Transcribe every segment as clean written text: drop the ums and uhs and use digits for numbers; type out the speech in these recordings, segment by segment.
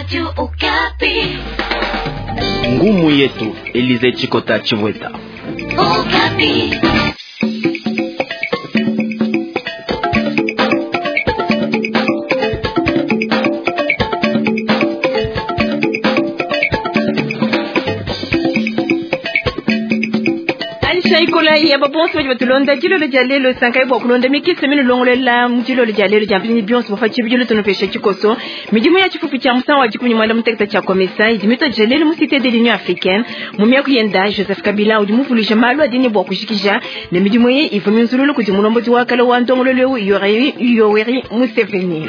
Radio Okapi. Ngumu yetu Elize Chikota Chivweta. Okapi. Ikola ya babonso badi batulonda dilolo dia lelo sankai bua kulonda mikese minulongolela mu dilolo dia lelo dia mpinyi bionso bafa tshibidilu tunupesha tshikoso midimu ya tshifufu tshia musangu wa dikumi muanda mutekete tshia COMESA idi mituadija lelo mu cité de l'Union africaine mu miaku yenda Joseph Kabila udi muvuluija malu adi ne bua kujikija ne midimu eyi ivua minzululu kudi mulombodi wa kale wa ndongoluelu eu Yoweri Museveni.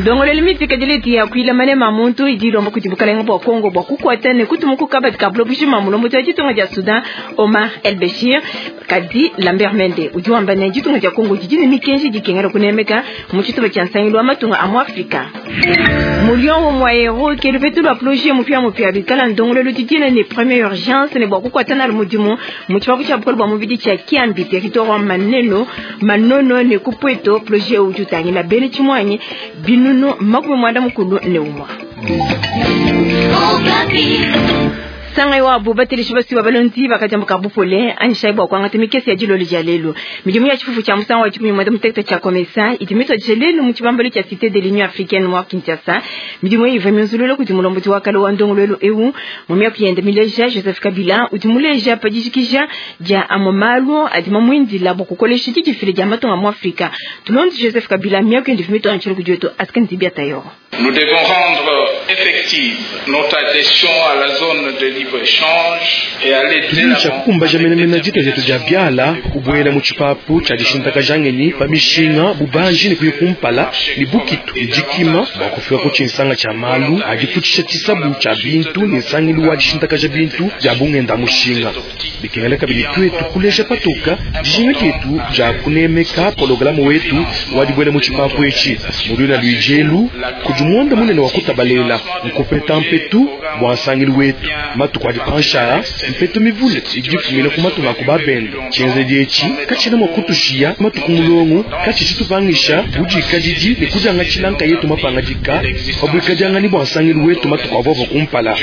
Ndongoluelu mitikadile idi yakuila manema a muntu idi ilomba kudi bukalenga bua Kongo bua kukuata ne kutuma ku kabadi ka buloba bujima mulombodi wa ditunga dia Soudan Omar El Bashir. Kadi Lambert Mende udi wamba ne ditunga dia Kongo didi ne mikenji dikengela kunemeka mu tshitupa tshia nsangilu wa matunga a mu Afrika. Muliongo mwa ero ke lupetu lua projet mupia mupia bikala ndongoluelu didina ne première urgence ne bua kukuata nalu mudimu mu tshipapu tshia bukole bua mubidi tshia Kiambi territoire wa Maneno Manono ne ku Pweto. Projet udi utangila bena tshimuanyi binunu 41. Sangai wabo bateleshi basiwa balondi bakajambuka bupole anyishayi bua kuangata mikese ya dilolo dia lelo. Midimu ya tshifufu tshia musangu wa dikumi muanda mutekete tshia COMESA idi mituadije lelo mu tshibambalu tshia cité de l'Union africaine wa Kinshasa. Midimu eyi ivua minzulula kudi mulombodi wa kale wa ndongoluelu eu mu miaku yende mileja Joseph Kabila udi muleja pa dijikija dia amue malu adi mamuindila bua kukolesha didifila dia matunga mu Afrika. Tulonde Joseph Kabila miaku yende ivua mituanjila kudi wetu Askan Dibia Tayor. Nous devons rendre effective notre adhésion à la zone de libre-échange et aller de Tudi tshia l'avant kukumbaja avec menemene dita dietu dia biala kubuela mu tshipapu tshia dishintakaja ngenyi pa mishinga bubanji ne kuya kumpala ne bukitu ne dikima bua kufika ku tshinsanga tshia malu adi futshisha tshisabu tshia bintu ne nsangilu wa dishintakaja bintu dia bungenda mushinga. Bikengela kabidi tuetu kuleja patoka dijinga dietu dia kunemeka pologalamu wetu wa dibuela mu tshipapu etshi. Mu luina luijelu kudi muanda munene wa kutabalela nkupeta mpetu bua nsangilu wetu matuku adi panshaa mpetu mivule idi ifumina ku matunga aku babende. Tshienzedi etshi katshiena mua kutushiya matuku mulongo katshi tshitupangisha budikadidi ne kudiangatshila nkayetu mapangadika pa buikadianganyi bua nsangilu wetu matuku avuavua kumpala.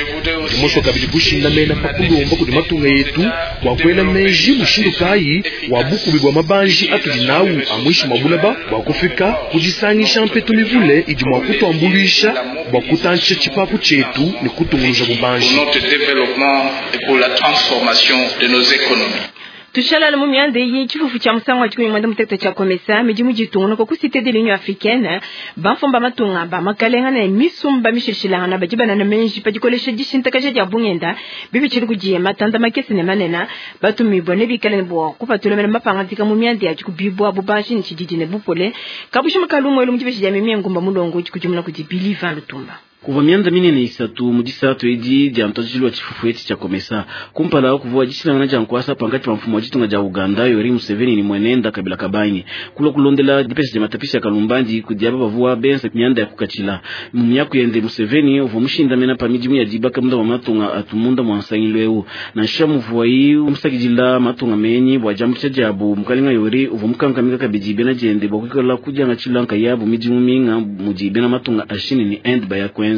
Ndi musue kabidi kushindamena pa kulomba kudi matunga yetu bua kuela meji mushindu kayi wa bukubi bua mabanji atudi nawu a muinshi mua bulaba bua kufika kudisangisha mpetu mivule idi mua kutuambuluisha bua kutantshisha tshipapu tshietu ne kutungunuja bubanji. pour notre développement et pour la transformation de nos économies. Tushalala mu mianda eyi tshifufu tshia musangu wa dikumi muanda mutekete tshia COMESA midimu ditungunuka ku cité de l'Union africaine bamfumba matunga ba makalenga ne misumba mishilshilangana badi banana menji pa dikolesha dishintakaja dia bungenda bibitshili kudi matanda makese ne manene batumibua ne bikale ne bua kupatula mene mapangadika mu mianda ya dikubibua bubanji ne tshididi ne bupole kabushima kalumuelu mu dibeji dia mimie ngumba mulongo udi kudimuna kudi Billy Van Lutumba. Kuvua mianda minene isatu mu disatu edi dia ntuadijilu wa tshifufu etshi tshia COMESA. Kumpala kuvua dishilangana dia nkuasa pankatshi pa mfumu wa ditunga dia Uganda Yoweri Museveni ne mwenenda Kabila Kabange. Kulua kulondela dipesha dia matapisha ya kalumbandi kudi aba bavua benza mianda ya kukatshila. Mu miaku yende Museveni uvua mushindamena pa midimu ya dibaka munda mua matunga atu munda mua nsangilu eu. Nansha muvuayi musakidila matunga menyi bua diambuluisha diabu, mukalenga Yoweri uvua mukankamika kabidi bena diende bua kuikala kudiangatshila nkayabu midimu minga mudi bena matunga a Chine ne Inde baya kuenza.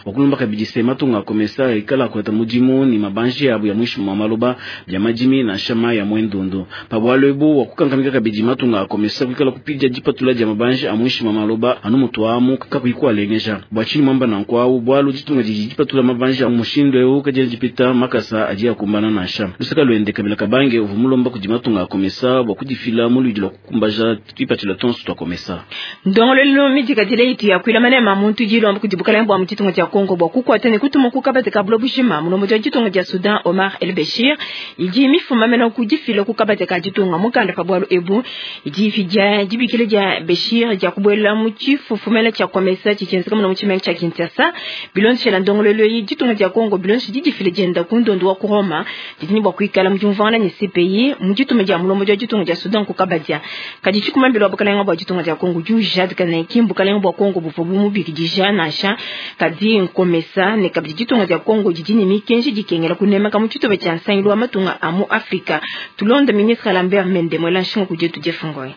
Wakulomba kabidi se matunga a COMESA ikala akuata mudimu ne mabanji abu ya muinshi mua maloba bia madimi nansha mayi ya muendundu. Pa bualu ebu wakukankamika kabidi matunga a COMESA kuikala kupidia dipatula dia mabanji a muinshi mua maloba anu mutuamu kakuyi kualengeja. Bua tshinyi muamba nanku awu? Bualu ditunga didi dipatula mabanji a mushindu eu kadiena dipeta makasa adi akumbana nansha. Luseka luende Kabila Kabange uvua mulomba kudi matunga a COMESA bua kudifila mu luidi lua kukumbaja tuipatshila tonso tua COMESA. Ndongoluelu midikadile itu yakuila manema muntu dilomba kudi bukalenga bua mu ditunga dia Kongo bua kukuata ne kutuma ku kabadi ka buloba bujima mulombodi wa ditunga dia Soudan Omar El Bashir idi mifuma mena ku difila ku kabadi ka ditunga mukanda pa bualu ebu idi ifidia dibikila dia Bashir dia kubuela mu tshifufumela tshia COMESA tshitshienzeka muna mu tshimenga tshia Kinshasa. Bilondeshela ndongoluelu eyi ditunga dia Kongo bilondeshe didifila dienda ku ndondo wa ku Roma didi ne bua kuikala mu diumvuangana ne CPI mu dituma dia mulombodi wa ditunga dia Soudan ku kabadia. Kadi tshikumambila wa bukalenga bua ditunga dia Kongo udi ujadika ne ki mbukalenga bua Kongo buvua bumubikidija nansha kadi nkomesa ne kabidi ditunga dia Kongo didi ne mikenji dikengela kunemeka mu tshitupa tshia nsangilu wa matunga a mu Afrika. Tulonde ministre Lambert Mende mwela nshinga kudi yetu Jeff Ngoy.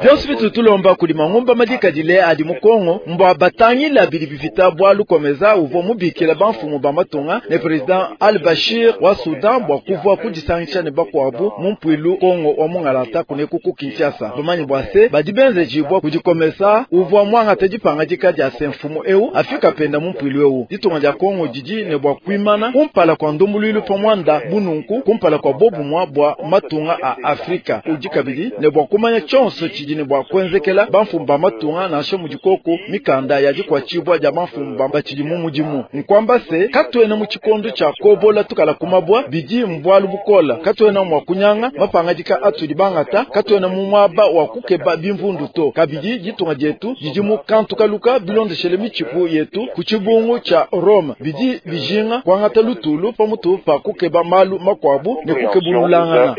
Bionso bitu tulomba kudi mangumba madikadile adi mu Kongo mbwa batangila bidi bipita bwalu COMESA uvua mubikila bamfumu ba matunga ne president Al Bashir wa Sudan bwa kuvua kudisangisha ne bakwabu mu mpuilu Kongo wa mungalata kuneku ku Kinshasa. Bamanyi bwa se badi benzejibwa kudi COMESA uvua mwangata dipangadika dia se mfumu eu afika penda mu mpuilu eu. Ditunga dia Kongo didi ne bwa kuimana kumpala kwa ndumbuluilu pa mwanda bununku kumpala kwa bobumwa bwa matunga a Afrika. Udi kabidi ne bwa kumanya tshionso tshidi ne bwa kuenzekela bamfumu ba matunga nansha mudikoko mikanda ya dikwatshibwa dia bamfumu ba batshidi mu mudimu. Nkwamba se katuena mu tshikondo tshia kobola tukala kumabwa bidi mbwalu bukola, katuena mwa kunyanga mapangadika atudi bangata, katuena mu mwaba wa kukeba bimvundu to. Kabidi ditunga dietu didi mu kantukaluka bilondeshele mitshipu yetu ku tshibungu tshia Rome bidi bijinga kuangata lutulu pamutu pa kukeba malu makwabu ne kukebululangana.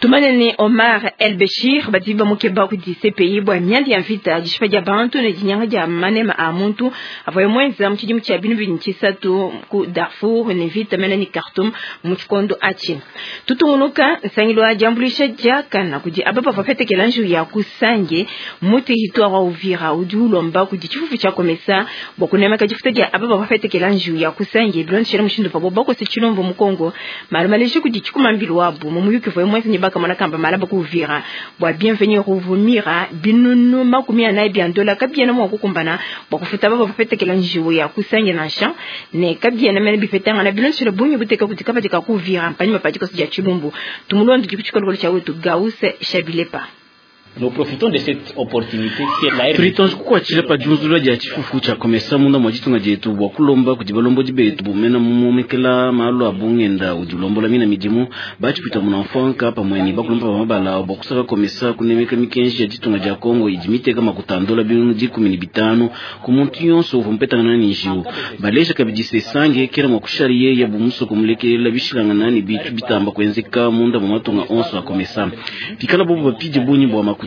Tumane ne Omar El Bashir badi bamukeba kudi CPI bwa mianda ya mvita dishipa dia bantu ne dinyanga dia manema a muntu avua mwenza mu tshidimu tshia binu bini tshisatu ku Darfur ne vita mena ni Khartoum mu tshikondo atshi. Tutungunuka nsangilu wa diambuluisha diakana kudi aba bavua bapetekela njiwu ya kusange mu territoire wa Uvira udi ulomba kudi tshifufu tshia COMESA bua kunemeka difuta dia aba bavua bapetekela njiwu ya kusange bilondeshele mushindu pabo bakose tshilombo mu Kongo malu maleji kudi tshikumambilu wabu mu muyuki vua mwenza ne bakamona kamba malaba ku Uvira bwa bienvenue ruvumira binunu 40 bya ndola kabiena mwa kukumbana bwa kufuta baba bapetekela njiwu ya kusange nansha ne kabiena mene bipetanga na bilondeshele bungi buteka kuti kabatika ku Uvira mpanyuma pa dikosi dia tshilumbu tumulondo dikutshikolokolo tshia wetu Gause Shabilepa. Nous profitons de cette opportunité qui est la RDC. Tulitonje kukwatshila pa diunzula dia tshifufu tshia COMESA munda mwa ditunga dietu bua kulomba kudi balombodi betu bumena mumomekela malu a bungenda udi ulombola mina midimu batshipita muna mfanka pamwe ne bakulomba ba mabala bua kusaka COMESA kunemeka mikenji ya ditunga dia Kongo idi miteka makutandola binunu 15 ku muntu yonso uvua mupetangana ne njiwu. Baleja kabidi se sange kela mwa kushariye ya bumusoko mulekelela bishilangana ne bitu bitamba kuenzeka munda mwa matunga onso a COMESA. Pikala bobo bapidi bunyi bua makuta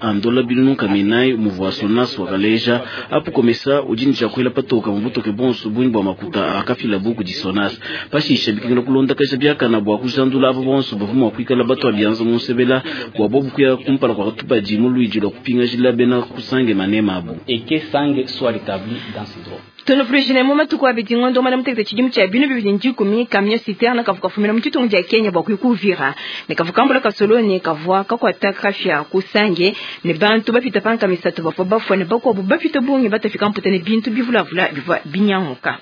andola binunu kamenai muvua sonas wakaleja apu COMESA udi ne tshiakuela patoka mubutoke bonso bunyi bua makuta akafila buku di sonas pashisha bikengela kulondakaja biakana bua kujandula abo bonso bavua mua kuikala bato abianza munsebela bua bobu kuya kumpala kua katubadi mu luidi lua kupingajila bena kusange manema abu. Et que sange soit rétabli dans ses droits. Tunufurishine mu matuku abidi ngondo mwana mutekete tshidimu tshia binu bibidi ndikumi camion citerne kavuka fumina mu tshitungu dia Kenya bua kuya ku Uvira ne kavukambula kasoloni kavua kakuata kafya kusange ne bantu bapita panka misatu bavua bafua ne bakuabu bapita bungi batafika mputa ne bintu bivulavula bivua binyanguka.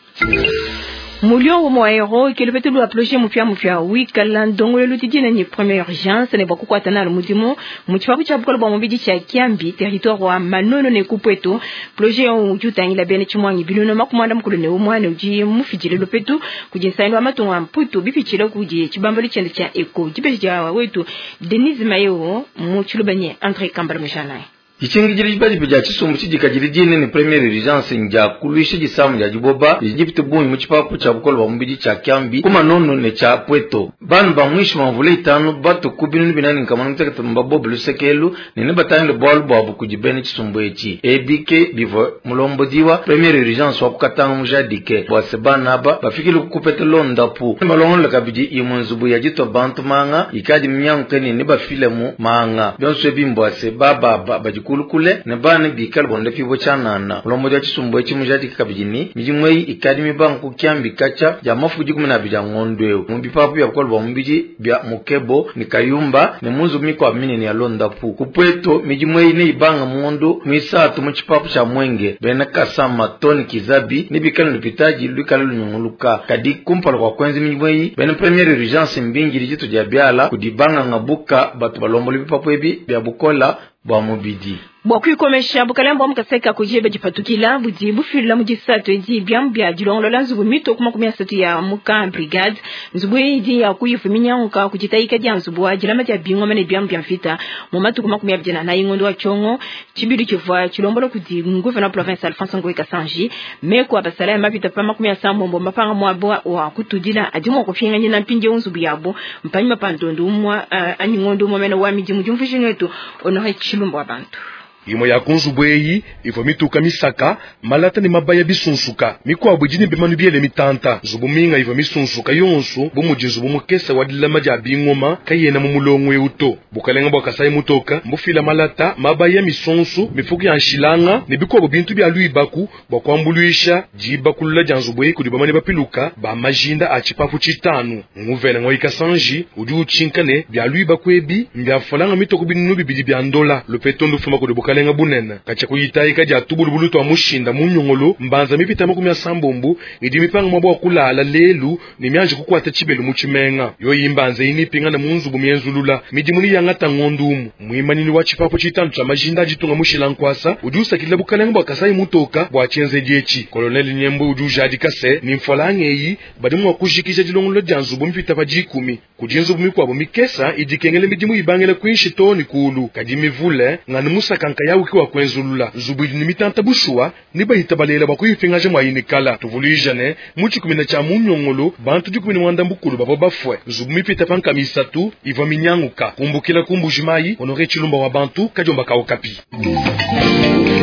Mulio wa aero ke lupete lu aploje mupya mupya wikala ndongolo lutidina ni première urgence ne bakukwata na mudimu mu tshipapu tshia bukolo bwa mubidi tshia Kiambi territoire wa Manono ne Kupweto projet udi utangila bene tshimwangi binuno makumanda mukulu ne umwana udi mufidile lupetu kudi nsangilu wa matunga mputu bipitshile kudi tshibambalu tshiende tshia eko dibeji dia wetu Denise Mayo mu tshilubanye André Kambala Mujanaye. Dicingijili dibadibi dia tshisumbu tshidikadile dine ne première urgence ndia kuluisha disamu dia diboba didi bungi mu tshipapu tshia bukolo bwa mubidi tshia Kiambi ku Manono ne tshia Pweto. Banu ba mwishi mamvula itanu batuku binunu binani nkamana mutekete mbabobe lusekelu ne ne batangile bwalu bwabu kudi bene tshisumbu etshi. Ebike bivua mulombodiwa première urgence wa kukatanga mujadike bua se bana aba bafikile kukupeta londapu. Balongolola kabidi imwe nzubu ya ditwa bantu manga ikadi minyanguke ne ne bafile mu manga. Bionso ebi mbua se bababa badi kulukule ne bana bikala bonde fibo chanana mulombodi wa tshisumbu etshi mujadike kabidi ni midimu eyi ikadi mibanga ku Kiambi katsha dia mafuku 12 dia ngondo eu mu bipapu bia bukolo bwa mubidi bia Mukebo ne Kayumba ne mu nzubu mikuabu minene ya londapu. Ku Pweto midimu eyi neibanga mu ngondo muisatu mu tshipapu tshia Mwenge bena Kasama Tony Kizabi ne bikala lupitaji luikala lunyunguluka. Kadi kumpala kua kuenza midimu eyi bena première urgence mbingili ditu dia biala kudi banganga buka batu balombola bipapu ebi bia bukola bwa mubidi. Bua kuikomesha bukalembo mukaseka kujebe dipatukila budi bufila mu disatu edi biamu bia dilongolola nzubu mito ku 30 ya muka brigade nzubu idi ya kuyifuminyanguka kujitayika dia nzubu wa dilama dia bingoma ne biamu bia mvita mu matuku 24 ngondo wa tshongo tshibidi tshivua tshilombola kudi gouverneur province Alphonse Ngoyi Kasanji meko abasala ya mapita pa 30 mapanga mwabo wa kutudila adi mwa kupinganyina mpindieu nzubu yabo mpanyima pa ndondo umwa anyi ngondo umwa mene wa midimu diumvuishinga wetu Honore Tshilumbu wa bantu. Imue ya ku nzubu eyi ivua mituka misaka, malata ne mabaya bisunsuka. Mikuabu idi ne bimanu biele mitanta. Nzubu minga ivua misunsuka yonso, bu mudi nzubu mukese wa dilama dia bingoma, kayena mu mulongo eu to. Bukalenga bua Kasayi Mutoka mbufila malata, mabaya, misonso, mifuku ya nshilanga ne bikuabu bintu bia luibaku bua kuambuluisha diibakulula dia nzubu eyi kudi bamanyi bapiluka ba majinda a tshipapu tshitanu. Nguvena Ngoyi Kasanji udi utshinka ne, bia luibaku ebi mbia mfranga mitue ku 2000 bia ndola. Lupetu ndufuma kudi bukalenga bunene. Katshia ku ditayika dia tubulubulu tua mushinda mu nyongolo, mbanza mipite 80 idi mipanga muaba wa kulala lelu ne mianji kukuata tshibelu mu tshimenga. Yoyi mbanza eyi neipingane mu nzubu mienzulula. Midimu neyangata ngondo umue. Muimanyinyi wa tshipapu tshitanu tshia majinda a ditunga mushila nkuasa udi usakidila bukalenga bua Kasayi Mutoka bua tshienzedi etshi. Colonel Nyembwe udi ujadika se, ne mfualanga eyi badi mua kujikija dilongolola dia nzubu mipite pa dikumi. Kudi nzubu mikuabu mikesa idi ikengela midimu ibangila kuinshi too ne kuulu, kadi mivule nganu musaka nkayawu ke wa kuenzulula. Nzubu idi ne mitanta bushuwa ne bayitabalela bua kuyipingaja mua inikala. Tuvuluija ne, mu tshikumina tshia mu Nyongolo, bantu 11 bavua bafue, nzubu mipite pa 300 ivua minyanguka. Kumbukila ku Mbuji-Mayi, Honore Tshilumba wa bantu, kadiomba ka Okapi.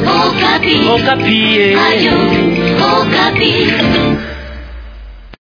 Okapi. Okapi. Ayo, Okapi.